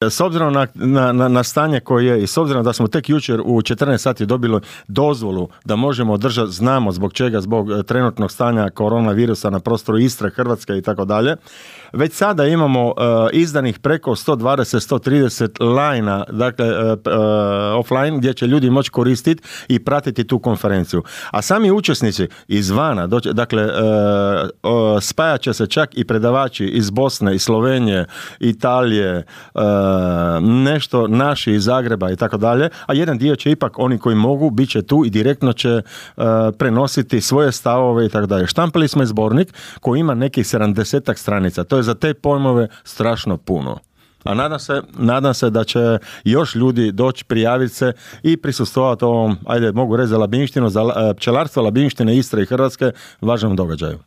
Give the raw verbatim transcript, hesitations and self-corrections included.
S obzirom na, na, na stanje koje je i s obzirom da smo tek jučer u četrnaest sati dobili dozvolu da možemo održati, znamo zbog čega, zbog trenutnog stanja koronavirusa na prostoru Istre, Hrvatske i tako dalje, već sada imamo uh, izdanih preko sto dvadeset do sto trideset lajna, dakle uh, uh, offline, gdje će ljudi moći koristiti i pratiti tu konferenciju. A sami učesnici izvana, doće, dakle uh, uh, spajat će se čak i predavači iz Bosne, iz Slovenije, Italije, uh, nešto naši iz Zagreba i tako dalje, a jedan dio će ipak oni koji mogu, bit će tu i direktno će uh, prenositi svoje stavove i tako dalje. Štampali smo zbornik koji ima nekih sedamdesetak stranica. To je za te pojmove strašno puno. A nadam se, nadam se da će još ljudi doći, prijaviti se i prisustvovati ovom, ajde, mogu reći za Labinštinu, za pčelarstvo Labinštine, Istre i Hrvatske, važnom događaju.